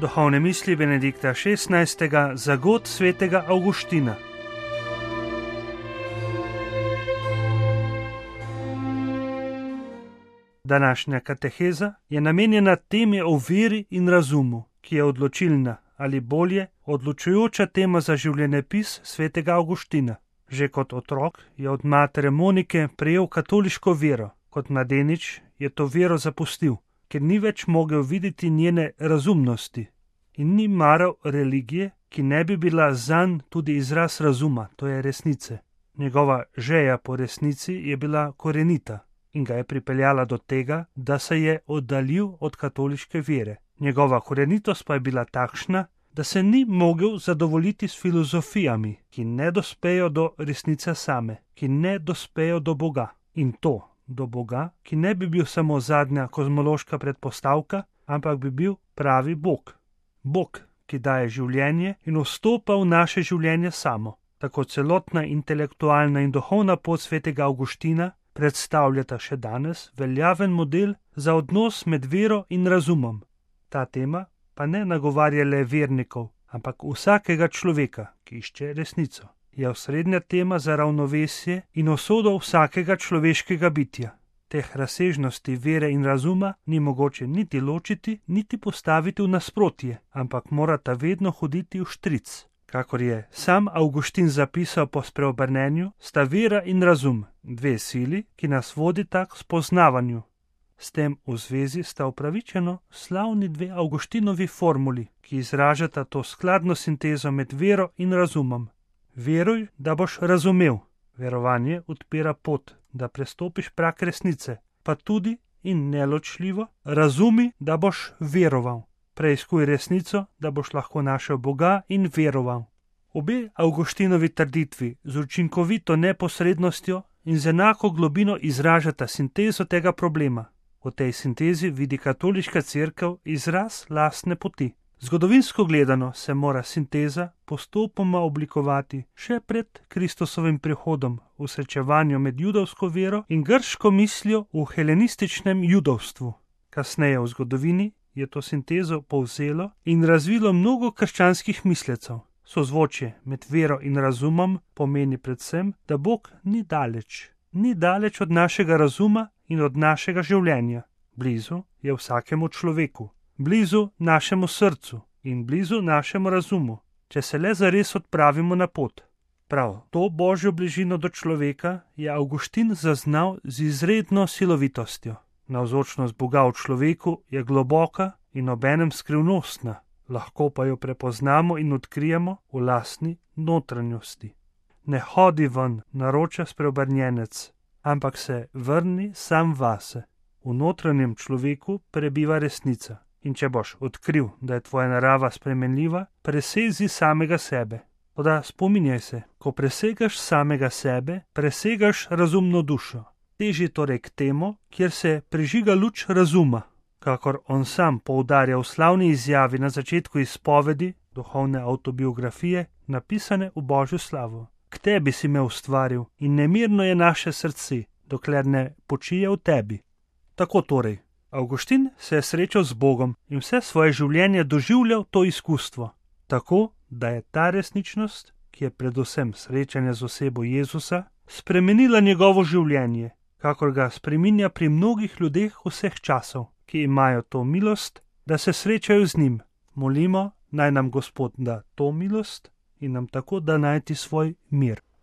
Duhovne misli Benedikta XVI. Za god svetega Avguština. Današnja kateheza je namenjena temi o veri in razumu, ki je odločilna ali bolje odločujoča tema za življenjepis svetega Avguština. Že kot otrok je od matere Monike prejel katoliško vero, kot mladenič je to vero zapustil, ker ni več mogel videti njene razumnosti in ni maral religije, ki ne bi bila zanj tudi izraz razuma, to je resnice. Njegova žeja po resnici je bila korenita in ga je pripeljala do tega, da se je oddaljil od katoliške vere. Njegova korenitost pa je bila takšna, da se ni mogel zadovoljiti s filozofijami, ki ne dospejo do resnice same, ki ne dospejo do Boga. In to do Boga, ki ne bi bil samo zadnja kozmološka predpostavka, ampak bi bil pravi Bog. Bog, ki daje življenje in vstopa v naše življenje samo. Tako celotna intelektualna in duhovna pot svetega Avguština predstavljata še danes veljaven model za odnos med vero in razumom. Ta tema pa ne nagovarja le vernikov, ampak vsakega človeka, ki išče resnico. Je osrednja tema za ravnovesje in usodo vsakega človeškega bitja. Teh razsežnosti vere in razuma ni mogoče niti ločiti, niti postaviti v nasprotje, ampak morata vedno hoditi v štric. Kakor je sam Avguštin zapisal po spreobrnenju, sta vera in razum dve sili, ki nas vodita k spoznavanju. S tem v zvezi sta upravičeno slavni dve Avguštinovi formuli, ki izražata to skladno sintezo med vero in razumom. Veruj, da boš razumel. Verovanje odpira pot, da prestopiš prag resnice, pa tudi in neločljivo razumi, da boš veroval. Preiskuj resnico, da boš lahko našel Boga in veroval. Obe Avguštinovi trditvi z učinkovito neposrednostjo in z enako globino izražata sintezo tega problema. V tej sintezi vidi katoliška cerkev izraz lastne poti. Zgodovinsko gledano se mora sinteza postopoma oblikovati še pred Kristusovim prihodom v srečevanju med judovsko vero in grško mislijo v helenističnem judovstvu. Kasneje v zgodovini je to sintezo povzelo in razvilo mnogo krščanskih mislecev. Sozvočje med vero in razumom pomeni predvsem, da Bog ni daleč od našega razuma in od našega življenja. Blizu je vsakemu človeku, blizu našemu srcu in blizu našemu razumu, če se le zares odpravimo na pot. Prav to božjo bližino do človeka je Avguštin zaznal z izredno silovitostjo. Navzočnost Boga v človeku je globoka in obenem skrivnostna, lahko pa jo prepoznamo in odkrijemo v lastni notranjosti. Ne hodi ven, naroča spreobrnjenec, ampak se vrni sam vase. V notranjem človeku prebiva resnica in če boš odkril, da je tvoja narava spremenljiva, presezi samega sebe. Toda spominjaj se, ko presegaš samega sebe, presegaš razumno dušo. Teži torej k temu, kjer se prižiga luč razuma, kakor on sam poudarja v slavni izjavi na začetku izpovedi duhovne avtobiografije, napisane v Božjo slavo. K tebi si me ustvaril in nemirno je naše srce, dokler ne počije v tebi. Tako torej, Avguštin se je srečal z Bogom in vse svoje življenje doživljal to izkustvo. Tako, da je ta resničnost, ki je predvsem srečanje z osebo Jezusa, spremenila njegovo življenje, kakor ga spreminja pri mnogih ljudeh vseh časov, ki imajo to milost, da se srečajo z njim. Molimo, naj nam Gospod da to milost in nam tako da najti svoj mir.